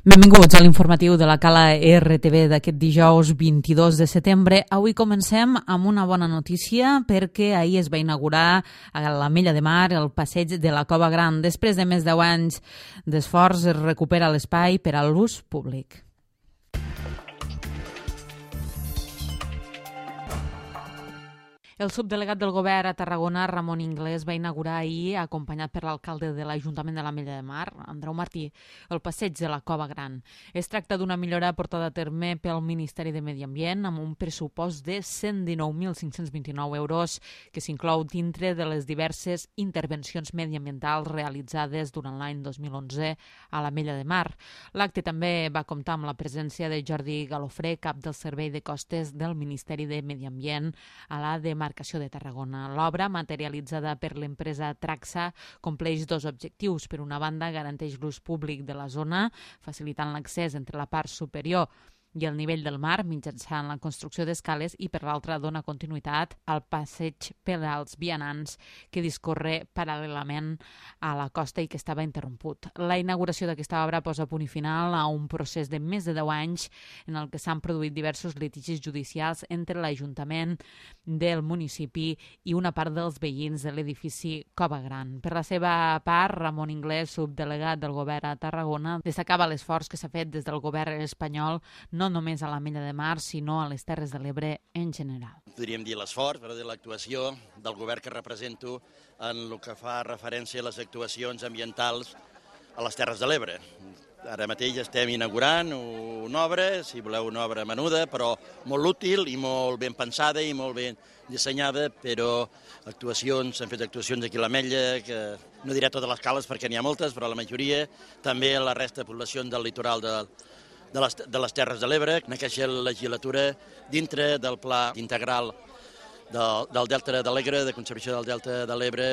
Benvinguts a l'informatiu de la Cala RTV d'aquest dijous 22 de setembre. Avui comencem amb una bona notícia perquè ahir es va inaugurar a l'Ametlla de Mar el passeig de la Cova Gran. Després de més de 10 anys d'esforç es recupera l'espai per a l'ús públic. El subdelegat del govern a Tarragona, Ramon Inglés, va inaugurar ahir, acompanyat per l'alcalde de l'Ajuntament de l'Ametlla de Mar, Andreu Martí, el passeig de la Cova Gran. Es tracta d'una millora portada a terme pel Ministeri de Medi Ambient amb un pressupost de 119.529 euros que s'inclou dintre de les diverses intervencions mediambientals realitzades durant l'any 2011 a l'Ametlla de Mar. L'acte també va comptar amb la presència de Jordi Galofré, cap del Servei de Costes del Ministeri de Medi Ambient a la demarcació de Tarragona. L'obra, materialitzada per l'empresa Traxa, compleix dos objectius. Per una banda, garanteix l'ús públic de la zona, facilitant l'accés entre la part superior i el nivell del mar mitjançant la construcció d'escales, i per l'altra dona continuïtat al passeig per als vianants que discorre paral·lelament a la costa i que estava interromput. La inauguració d'aquesta obra posa punt i final a un procés de més de 10 anys en el que s'han produït diversos litigis judicials entre l'Ajuntament del municipi i una part dels veïns de l'edifici Cova Gran. Per la seva part, Ramon Inglés, subdelegat del govern a Tarragona, destacava l'esforç que s'ha fet des del govern espanyol no només a l'Ametlla de Mar, sinó a les Terres de l'Ebre en general. Podríem dir l'esforç, però de l'actuació del govern que represento en el que fa referència a les actuacions ambientals a les Terres de l'Ebre. Ara mateix estem inaugurant una obra, si voleu una obra menuda, però molt útil i molt ben pensada i molt ben dissenyada, però s'han fet actuacions aquí a l'Ametlla, que no diré totes les cales perquè n'hi ha moltes, però la majoria, també a la resta de poblacions del litoral de les Terres de l'Ebre, en aquesta legislatura, dintre del pla integral del Delta de l'Ebre, de conservació del Delta de l'Ebre,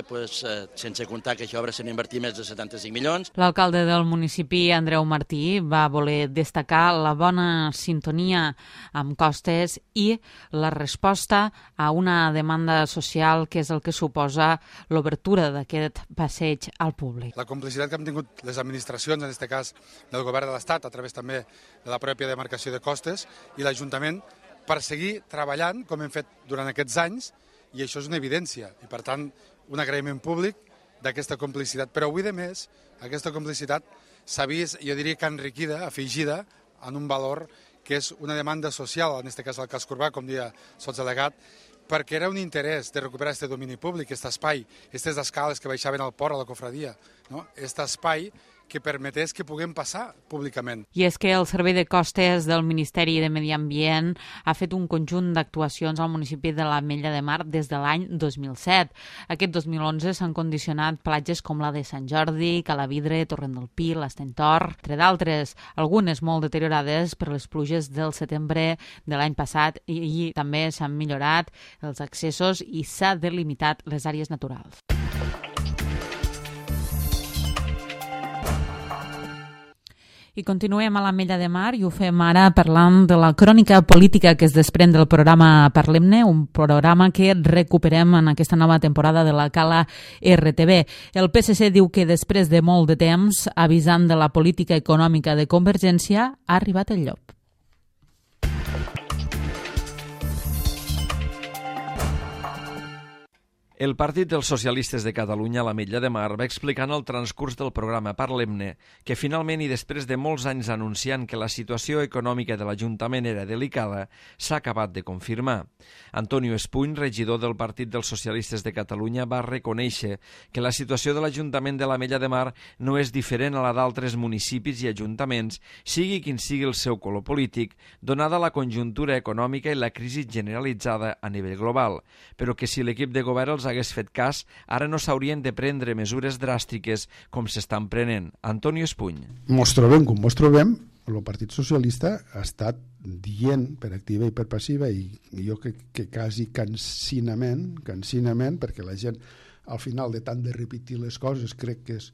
sense comptar que aquesta obra s'han invertit més de 75 milions. L'alcalde del municipi, Andreu Martí, va voler destacar la bona sintonia amb Costes i la resposta a una demanda social que és el que suposa l'obertura d'aquest passeig al públic. La complicitat que han tingut les administracions, en aquest cas del govern de l'Estat, a través també de la pròpia demarcació de Costes, i l'Ajuntament, per seguir treballant com hem fet durant aquests anys, i això és una evidència. I, per tant, un agraïment públic d'aquesta complicitat. Però avui, de més, aquesta complicitat s'ha vist, jo diria que enriquida, afegida, en un valor que és una demanda social, en aquest cas el casc urbà, com deia sotsdelegat, perquè era un interès de recuperar aquest domini públic, aquest espai, aquestes escales que baixaven al port, a la cofradia, no? Aquest espai que permetés que puguem passar públicament. I és que el Servei de Costes del Ministeri de Medi Ambient ha fet un conjunt d'actuacions al municipi de l'Ametlla de Mar des de l'any 2007. Aquest 2011 s'han condicionat platges com la de Sant Jordi, Calavidre, Torrent del Pi, l'Estentor, entre d'altres, algunes molt deteriorades per les pluges del setembre de l'any passat, i també s'han millorat els accessos i s'ha delimitat les àrees naturals. I continuem a l'Ametlla de Mar i ho fem ara parlant de la crònica política que es desprèn del programa Parlem-ne, un programa que recuperem en aquesta nova temporada de la Cala RTV. El PSC diu que després de molt de temps, avisant de la política econòmica de Convergència, ha arribat el llop. El Partit dels Socialistes de Catalunya a l'Ametlla de Mar va explicar en el transcurs del programa Parlem-ne que finalment, i després de molts anys anunciant que la situació econòmica de l'Ajuntament era delicada, s'ha acabat de confirmar. Antonio Espuny, regidor del Partit dels Socialistes de Catalunya, va reconèixer que la situació de l'Ajuntament de l'Ametlla de Mar no és diferent a la d'altres municipis i ajuntaments, sigui quin sigui el seu color polític, donada la conjuntura econòmica i la crisi generalitzada a nivell global, però que si l'equip de govern els hagués fet cas, ara no s'haurien de prendre mesures dràstiques com s'estan prenent. Antonio Espuny. Mos trobem com mos trobem, el Partit Socialista ha estat dient per activa i per passiva, i jo que quasi cansinament, perquè la gent al final de tant de repetir les coses crec que és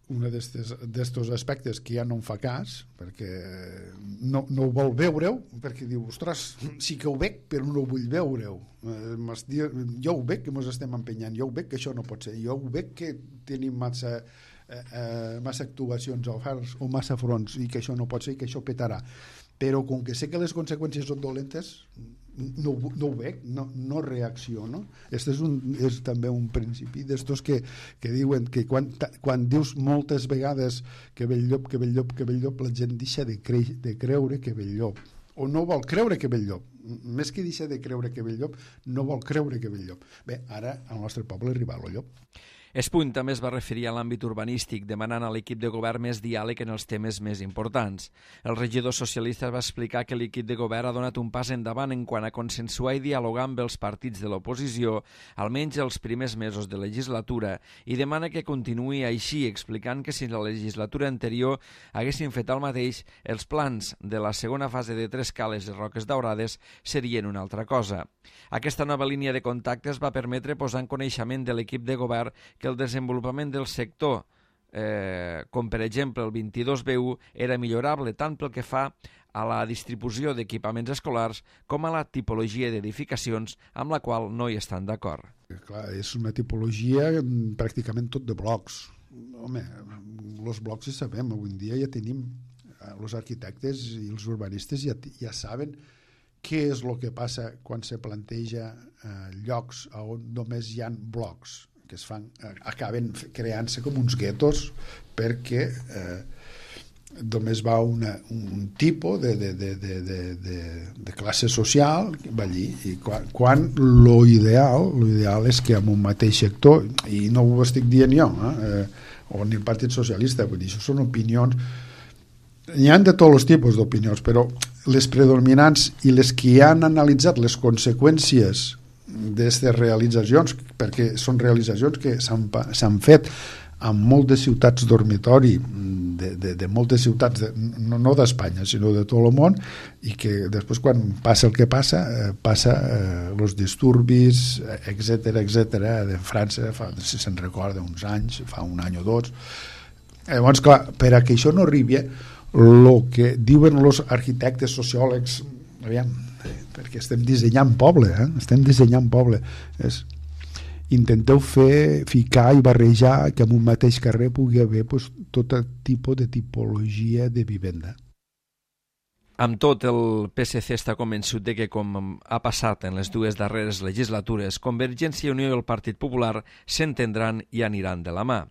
un d'aquests aspectes que ja no em fa cas, perquè no ho vol veure-ho, perquè diu, ostres, sí que ho veig, però no ho vull veure-ho. Jo ho veig que ens estem empenyant, jo ho veig que això no pot ser, jo ho veig que tenim massa massa actuacions oferts o massa fronts i que això no pot ser i que això petarà. Però com que sé que les conseqüències són dolentes, no ho veig, no reacciono. Aquest és també un principi d'estos que diuen que quan dius moltes vegades que ve el llop, que ve el llop, que ve el llop, la gent deixa de creure que ve el llop, o no vol creure que ve el llop. Més que deixa de creure que ve el llop, no vol creure que ve el llop. Bé, ara al nostre poble arriba el llop. Espuny també es va referir a l'àmbit urbanístic, demanant a l'equip de govern més diàleg en els temes més importants. El regidor socialista va explicar que l'equip de govern ha donat un pas endavant en quant a consensuar i dialogar amb els partits de l'oposició, almenys els primers mesos de legislatura, i demana que continuï així, explicant que si la legislatura anterior haguessin fet el mateix, els plans de la segona fase de Tres Cales i Roques Daurades serien una altra cosa. Aquesta nova línia de contactes va permetre posar en coneixement de l'equip de govern que el desenvolupament del sector, com per exemple el 22B1, era millorable tant pel que fa a la distribució d'equipaments escolars com a la tipologia d'edificacions amb la qual no hi estan d'acord. Clar, és una tipologia pràcticament tot de blocs. Home, els blocs ja sabem, avui en dia ja tenim, els arquitectes i els urbanistes ja saben què és el que passa quan se planteja llocs on només hi ha blocs que acaben creant-se com uns guetos perquè només va un tipus de classe social va allí, i quan l'ideal és que en un mateix sector, i no ho estic dient jo o ni el Partit Socialista, vull dir, això són opinions, n'hi ha de tots els tipus d'opinions, però les predominants i les que han analitzat les conseqüències d'aquestes realitzacions, perquè són realitzacions que s'han fet en moltes ciutats dormitori de moltes ciutats, no d'Espanya sinó de tot el món, i que després quan passa el que passa els disturbis, etc de França, si se'n recorda uns anys, fa un any o dos. Llavors, clar, per a que això no arribi, el que diuen els arquitectes, sociòlegs, aviam, perquè estem dissenyant poble, intenteu ficar i barrejar que en un mateix carrer pugui haver tot tipus de tipologia de vivenda. Amb tot, el PSC està convençut de que, com ha passat en les dues darreres legislatures, Convergència i Unió i el Partit Popular s'entendran i aniran de la mà.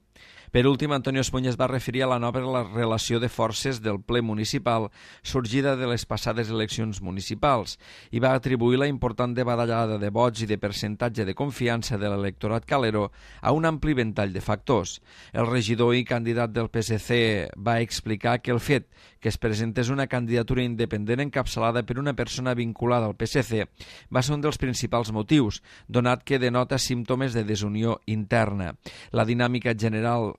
Per últim, Antonio Espuny es va referir a la nova relació de forces del ple municipal sorgida de les passades eleccions municipals i va atribuir la important badallada de vots i de percentatge de confiança de l'electorat calero a un ampli ventall de factors. El regidor i candidat del PSC va explicar que el fet que es presentés una candidatura independent encapçalada per una persona vinculada al PSC va ser un dels principals motius, donat que denota símptomes de desunió interna. La dinàmica general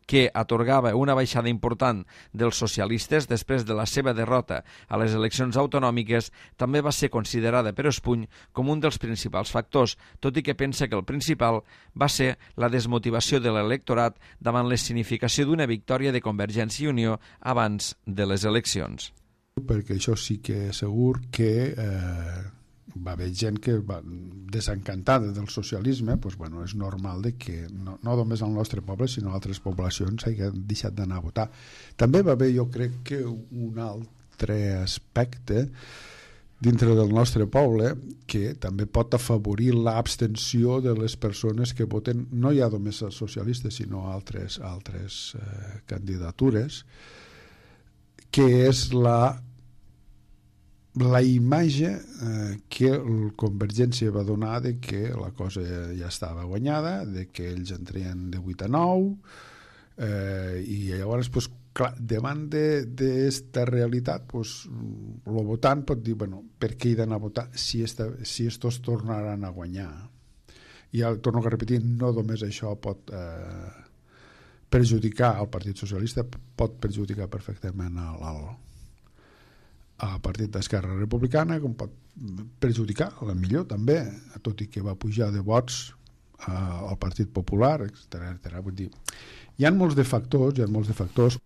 que atorgava una baixada important dels socialistes després de la seva derrota a les eleccions autonòmiques també va ser considerada per Espuny com un dels principals factors, tot i que pensa que el principal va ser la desmotivació de l'electorat davant l'escenificació d'una victòria de Convergència i Unió abans de les eleccions. Perquè això sí que és segur que va haver gent que va desencantada del socialisme, doncs, bueno, és normal de que no només al nostre poble sinó a altres poblacions hagin deixat d'anar a votar. També va haver, jo crec, que un altre aspecte dintre del nostre poble que també pot afavorir l'abstenció de les persones que voten no ja només als socialistes sinó a altres candidatures, que és la imatge que el Convergència va donar de que la cosa ja estava guanyada, de que ells entrien de 8 a 9 i llavors, pues, clar, davant d'esta realitat, pues, el votant pot dir, bueno, per què he d'anar a votar si estos tornaran a guanyar? I torno a repetir, no només això pot perjudicar al Partit Socialista, pot perjudicar perfectament al Partit d'Esquerra Republicana, com pot perjudicar, a la millor també, tot i que va pujar de vots al Partit Popular, etc. Vull dir, hi ha molts de factors.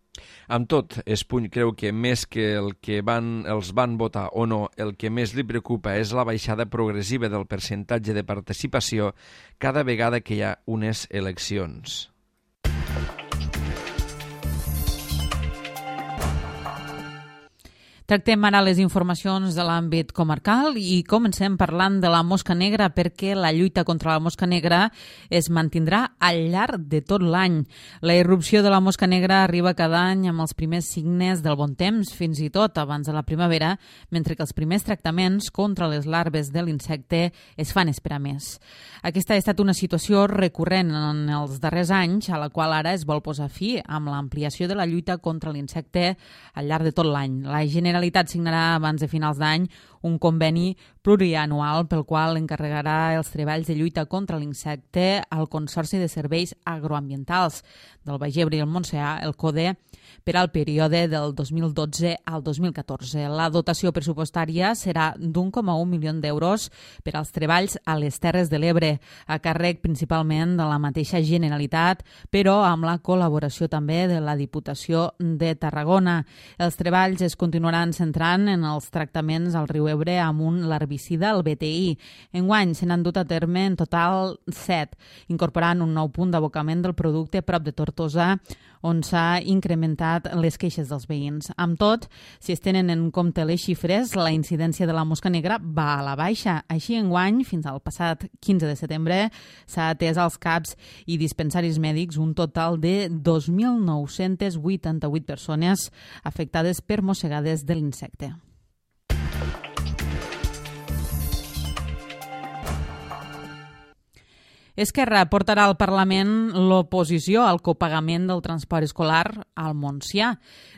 Amb tot, Espuny creu que més que el que els van votar o no, el que més li preocupa és la baixada progressiva del percentatge de participació cada vegada que hi ha unes eleccions. Tractem ara les informacions de l'àmbit comarcal i comencem parlant de la mosca negra perquè la lluita contra la mosca negra es mantindrà al llarg de tot l'any. La irrupció de la mosca negra arriba cada any amb els primers signes del bon temps, fins i tot abans de la primavera, mentre que els primers tractaments contra les larves de l'insecte es fan esperar més. Aquesta ha estat una situació recurrent en els darrers anys, a la qual ara es vol posar fi amb l'ampliació de la lluita contra l'insecte al llarg de tot l'any. La Generalitat signarà abans de finals d'any un conveni plurianual pel qual encarregarà els treballs de lluita contra l'insecte al Consorci de Serveis Agroambientals del Baix Ebre i el Montsià, el CODE, per al període del 2012 al 2014. La dotació pressupostària serà d'1,1 milió d'euros per als treballs a les Terres de l'Ebre, a càrrec principalment de la mateixa Generalitat, però amb la col·laboració també de la Diputació de Tarragona. Els treballs es continuaran centrant en els tractaments al riu Ebre amb un larvicida, el BTI. Enguany se n'han dut a terme en total 7, incorporant un nou punt d'abocament del producte prop de Tortosa, on s'ha incrementat les queixes dels veïns. Amb tot, si es tenen en compte les xifres, la incidència de la mosca negra va a la baixa. Així, enguany, fins al passat 15 de setembre, s'ha atès als CAPs i dispensaris mèdics un total de 2.988 persones afectades per mossegades de l'insecte. Esquerra portarà al Parlament l'oposició al copagament del transport escolar al Montsià.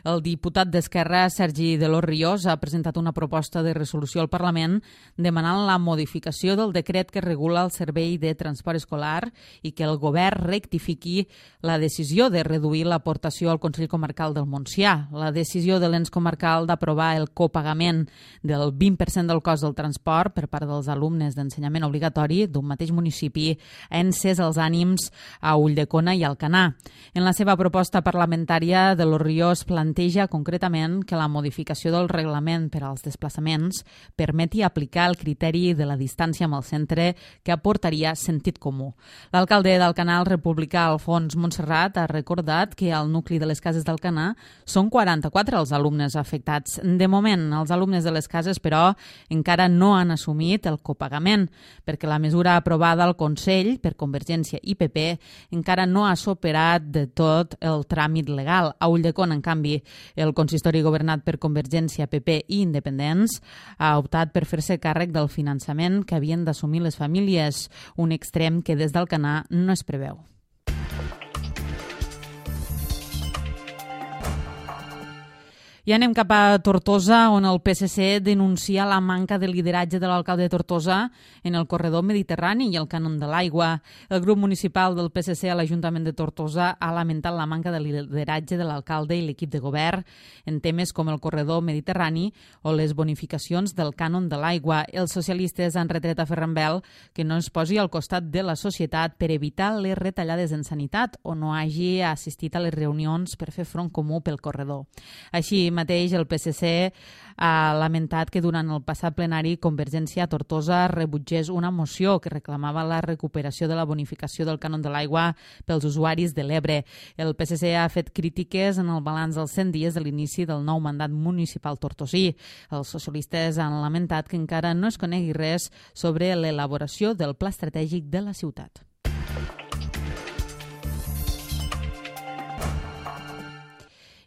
El diputat d'Esquerra, Sergi de los Ríos, ha presentat una proposta de resolució al Parlament demanant la modificació del decret que regula el servei de transport escolar i que el govern rectifiqui la decisió de reduir l'aportació al Consell Comarcal del Montsià. La decisió de l'ens comarcal d'aprovar el copagament del 20% del cost del transport per part dels alumnes d'ensenyament obligatori d'un mateix municipi ha encès els ànims a Ulldecona i Alcanar. En la seva proposta parlamentària, de los Ríos planteja concretament que la modificació del reglament per als desplaçaments permeti aplicar el criteri de la distància amb el centre que aportaria sentit comú. L'alcalde d'Alcanar, el republicà Alfons Montserrat, ha recordat que al nucli de les cases d'Alcanar són 44 els alumnes afectats. De moment, els alumnes de les cases, però, encara no han assumit el copagament, perquè la mesura aprovada al Consell per Convergència i PP encara no ha superat de tot el tràmit legal. A Ulldecona, en canvi, el consistori governat per Convergència, PP i Independents ha optat per fer-se càrrec del finançament que havien d'assumir les famílies, un extrem que des d'Alcanar no es preveu. I anem cap a Tortosa, on el PSC denuncia la manca de lideratge de l'alcalde de Tortosa en el corredor mediterrani i el cànon de l'aigua. El grup municipal del PSC a l'Ajuntament de Tortosa ha lamentat la manca de lideratge de l'alcalde i l'equip de govern en temes com el corredor mediterrani o les bonificacions del cànon de l'aigua. Els socialistes han retret a Ferran Bel que no es posi al costat de la societat per evitar les retallades en sanitat o no hagi assistit a les reunions per fer front comú pel corredor. Així mateix, el PSC ha lamentat que durant el passat plenari Convergència a Tortosa rebutgés una moció que reclamava la recuperació de la bonificació del cànon de l'aigua pels usuaris de l'Ebre. El PSC ha fet crítiques en el balanç dels 100 dies de l'inici del nou mandat municipal tortosí. Els socialistes han lamentat que encara no es conegui res sobre l'elaboració del pla estratègic de la ciutat.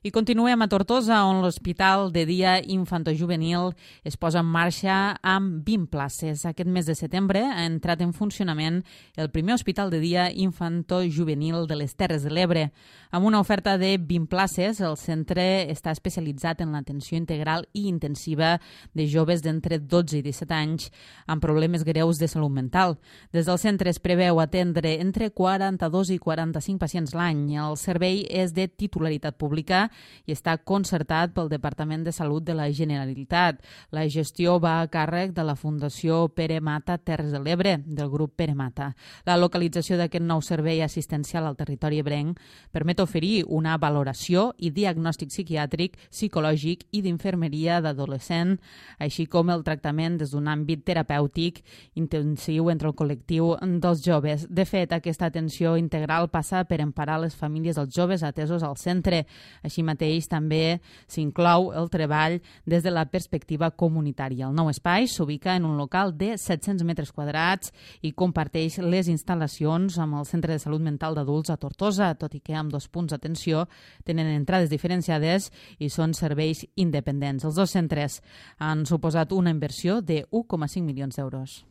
I continuem a Tortosa, on l'Hospital de Dia Infantojuvenil es posa en marxa amb 20 places. Aquest mes de setembre ha entrat en funcionament el primer Hospital de Dia Infantojuvenil de les Terres de l'Ebre. Amb una oferta de 20 places, el centre està especialitzat en l'atenció integral i intensiva de joves d'entre 12 i 17 anys amb problemes greus de salut mental. Des del centre es preveu atendre entre 42 i 45 pacients l'any. El servei és de titularitat pública i està concertat pel Departament de Salut de la Generalitat. La gestió va a càrrec de la Fundació Pere Mata Terres de l'Ebre, del grup Pere Mata. La localització d'aquest nou servei assistencial al territori ebrenc permet oferir una valoració i diagnòstic psiquiàtric, psicològic i d'infermeria d'adolescent, així com el tractament des d'un àmbit terapèutic intensiu entre el col·lectiu dels joves. De fet, aquesta atenció integral passa per emparar les famílies dels joves atesos al centre. Així mateix també s'inclou el treball des de la perspectiva comunitària. El nou espai s'ubica en un local de 700 metres quadrats i comparteix les instal·lacions amb el Centre de Salut Mental d'Adults a Tortosa, tot i que amb 2 punts d'atenció tenen entrades diferenciades i són serveis independents. Els 2 centres han suposat una inversió de 1,5 milions d'euros.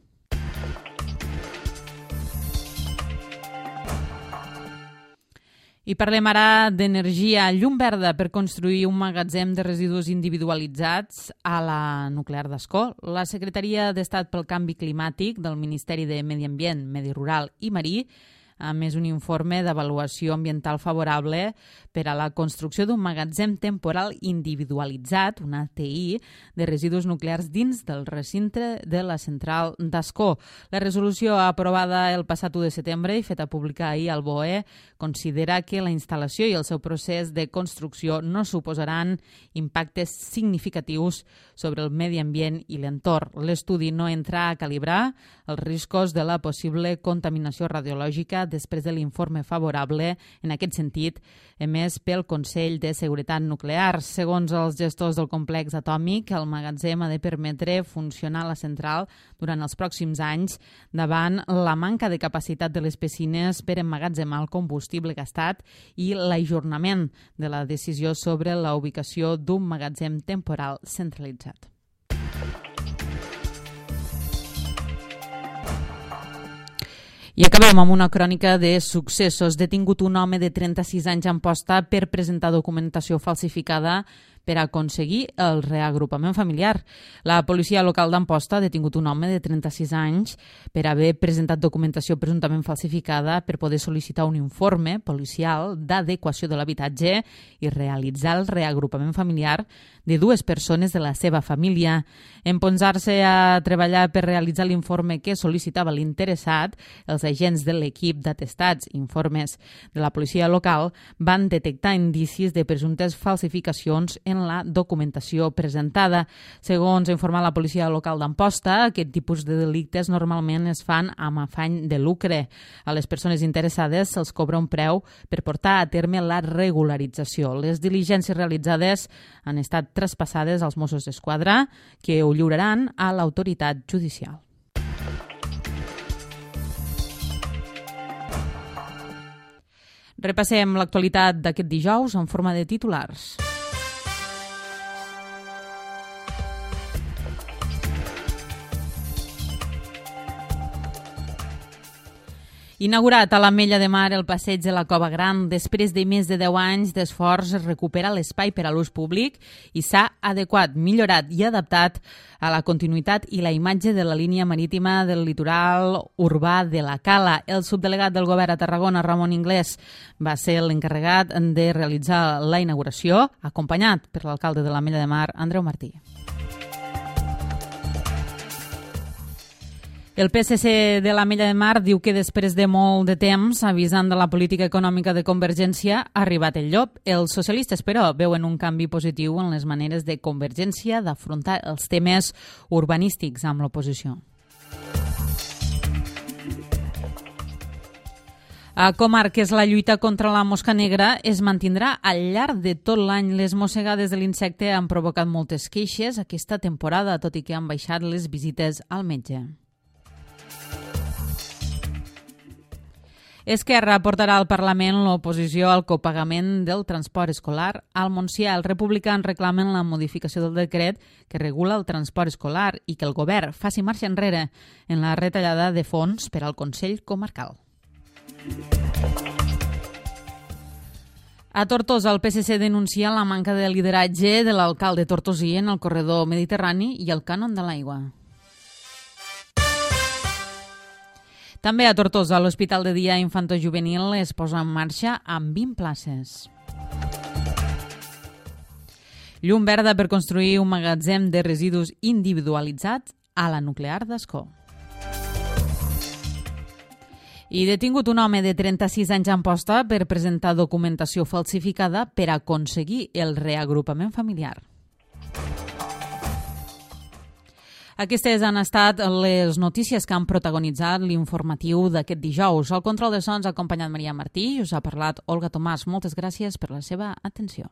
I parlem ara d'energia. Llum verda per construir un magatzem de residus individualitzats a la nuclear d'Ascó. La Secretaria d'Estat pel Canvi Climàtic del Ministeri de Medi Ambient, Medi Rural i Marí a més un informe d'avaluació ambiental favorable per a la construcció d'un magatzem temporal individualitzat, un ATI, de residus nuclears dins del recinte de la central d'Ascó. La resolució aprovada el passat 1 de setembre i feta pública ahir al BOE considera que la instal·lació i el seu procés de construcció no suposaran impactes significatius sobre el medi ambient i l'entorn. L'estudi no entra a calibrar els riscos de la possible contaminació radiològica després de l'informe favorable, en aquest sentit, emès pel Consell de Seguretat Nuclear. Segons els gestors del complex atòmic, el magatzem ha de permetre funcionar la central durant els pròxims anys davant la manca de capacitat de les piscines per emmagatzemar el combustible gastat i l'ajornament de la decisió sobre la ubicació d'un magatzem temporal centralitzat. I acabem amb una crònica de successos. Detingut un home de 36 anys a Amposta per presentar documentació falsificada per aconseguir el reagrupament familiar. La policia local d'Amposta ha detingut un home de 36 anys per haver presentat documentació presumptament falsificada per poder sol·licitar un informe policial d'adequació de l'habitatge i realitzar el reagrupament familiar de 2 persones de la seva família. En posar-se a treballar per realitzar l'informe que sol·licitava l'interessat, els agents de l'equip d'atestats informes de la policia local van detectar indicis de presumptes falsificacions en la documentació presentada. Segons ha informat la policia local d'Amposta, aquest tipus de delictes normalment es fan amb afany de lucre. A les persones interessades se'ls cobra un preu per portar a terme la regularització. Les diligències realitzades han estat traspassades als Mossos d'Esquadra, que ho lliuraran a l'autoritat judicial. Repassem l'actualitat d'aquest dijous en forma de titulars. Inaugurat a l'Ametlla de Mar el passeig de la Cova Gran, després de més de 10 anys d'esforç es recupera l'espai per a l'ús públic i s'ha adequat, millorat i adaptat a la continuïtat i la imatge de la línia marítima del litoral urbà de la Cala. El subdelegat del govern a Tarragona, Ramon Inglés, va ser l'encarregat de realitzar la inauguració, acompanyat per l'alcalde de l'Ametlla de Mar, Andreu Martí. El PSC de l'Ametlla de Mar diu que després de molt de temps, avisant de la política econòmica de Convergència, ha arribat el llop. Els socialistes, però, veuen un canvi positiu en les maneres de Convergència d'afrontar els temes urbanístics amb l'oposició. A Comarques, la lluita contra la mosca negra es mantindrà al llarg de tot l'any. Les mossegades de l'insecte han provocat moltes queixes aquesta temporada, tot i que han baixat les visites al metge. Esquerra portarà al Parlament l'oposició al copagament del transport escolar. Al Montsià, els republicans reclamen la modificació del decret que regula el transport escolar i que el govern faci marxa enrere en la retallada de fons per al Consell Comarcal. A Tortosa, el PSC denuncia la manca de lideratge de l'alcalde tortosí en el corredor mediterrani i el cànon de l'aigua. També a Tortosa, l'Hospital de Dia Infantojuvenil es posa en marxa amb 20 places. Llum verda per construir un magatzem de residus individualitzats a la nuclear d'Ascó. I detingut un home de 36 anys a Amposta per presentar documentació falsificada per aconseguir el reagrupament familiar. Aquestes han estat les notícies que han protagonitzat l'informatiu d'aquest dijous. Al control de sons ha acompanyat Maria Martí i us ha parlat Olga Tomàs. Moltes gràcies per la seva atenció.